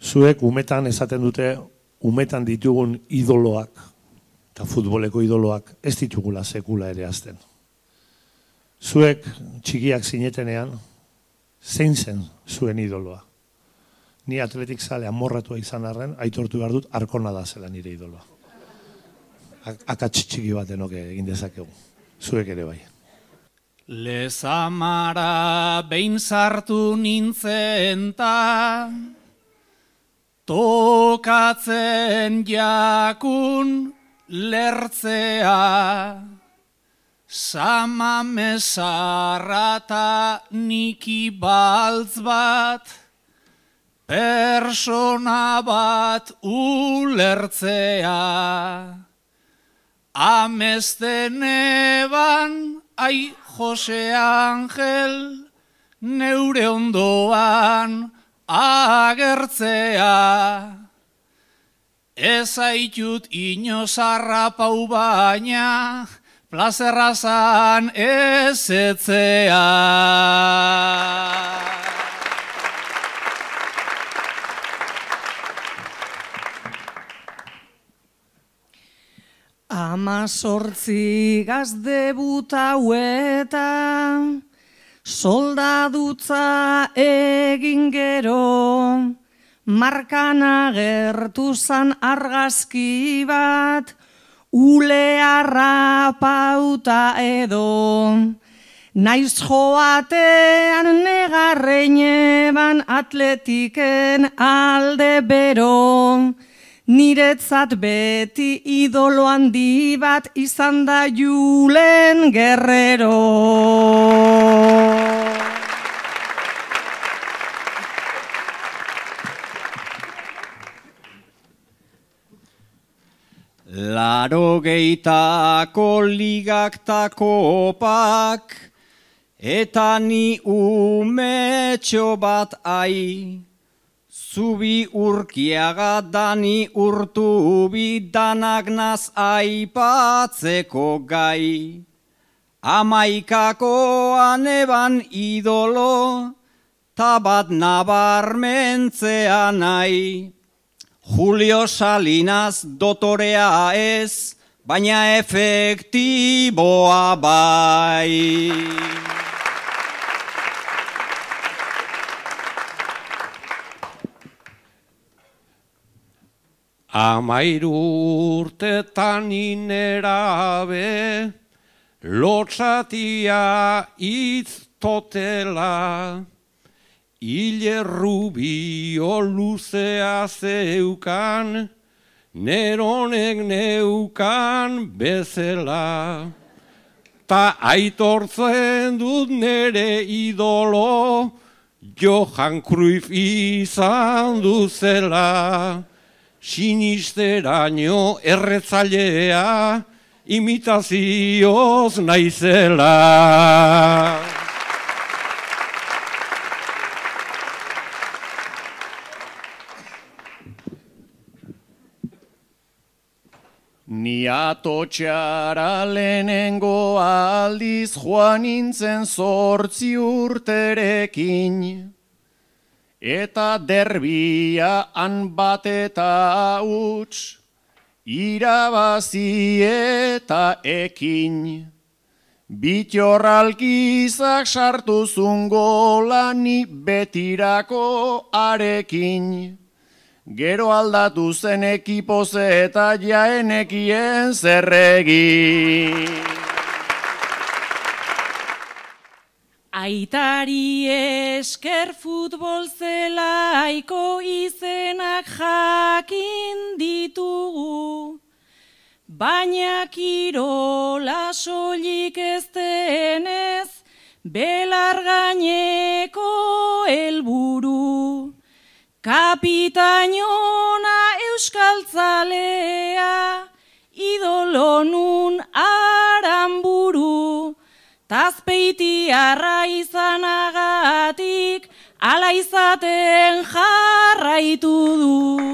Zuek umetan esaten dute, umetan ditugun idoloak, eta futboleko idoloak, ez ditugula sekula ere azten. Zuek txikiak zinetenean, zein zen zuen idoloa? Ni atletik zale amorratua izan arren, aitortu behar dut, Arkona da zela nire idoloa. Akats txiki batenok egin dezakegu. Zuek ere bai. Lezamara behin sartu nintzen ta, tokatzen jakun lertzea, sama mesarrata niki baltz bat, persona bat ulertzea. Amesten eban, ai Jose Angel, neure ondoan agertzea. Ez aitut inozarra pau baina, plazerra zan ezetzea. Amazortzi gazdebuta hueta, soldadutza egin gero, markan agertu zan argazki bat, ulearra pauta edo. Naiz joatean negarrein eban atletiken alde bero, niretzat beti idolo handi bat izan da Julen Guerrero. Laurogeitako ligak ta kopak, eta ni umetxo bat ai. Zubi urkiaga dani urtubi danak naz aipatzeko gai. Amaikakoan eban idolo, tabat nabarmentzea nahi. Julio Salinas dotorea ez, baina efektiboa bai. Amairu urtetan inerabe, lotsatia iztotela, hile rubio luzea zeukan, neronek neukan bezela. Ta aitortzen dut nere idolo, Johan Cruyff izan duzela. Sinisteraino erretzailea, imitazioz naizela. Ni atotxara lehenengo aldiz joan nintzen 8 urterekin, eta derbia han bat eta huts, irabazi eta ekin. Bitorralkizak sartu zun gola ni betirako arekin. Gero aldatu zen ekipoz eta jaenekien zerregin. Aitari esker futbol zelaiko izenak jakin ditugu, baina kirola soilik ez denez, belar gaineko helburu. Kapitainona euskaltzalea, idolo nun Aranburu. Tazpeitiarra izanagatik, ala izaten jarraitu du.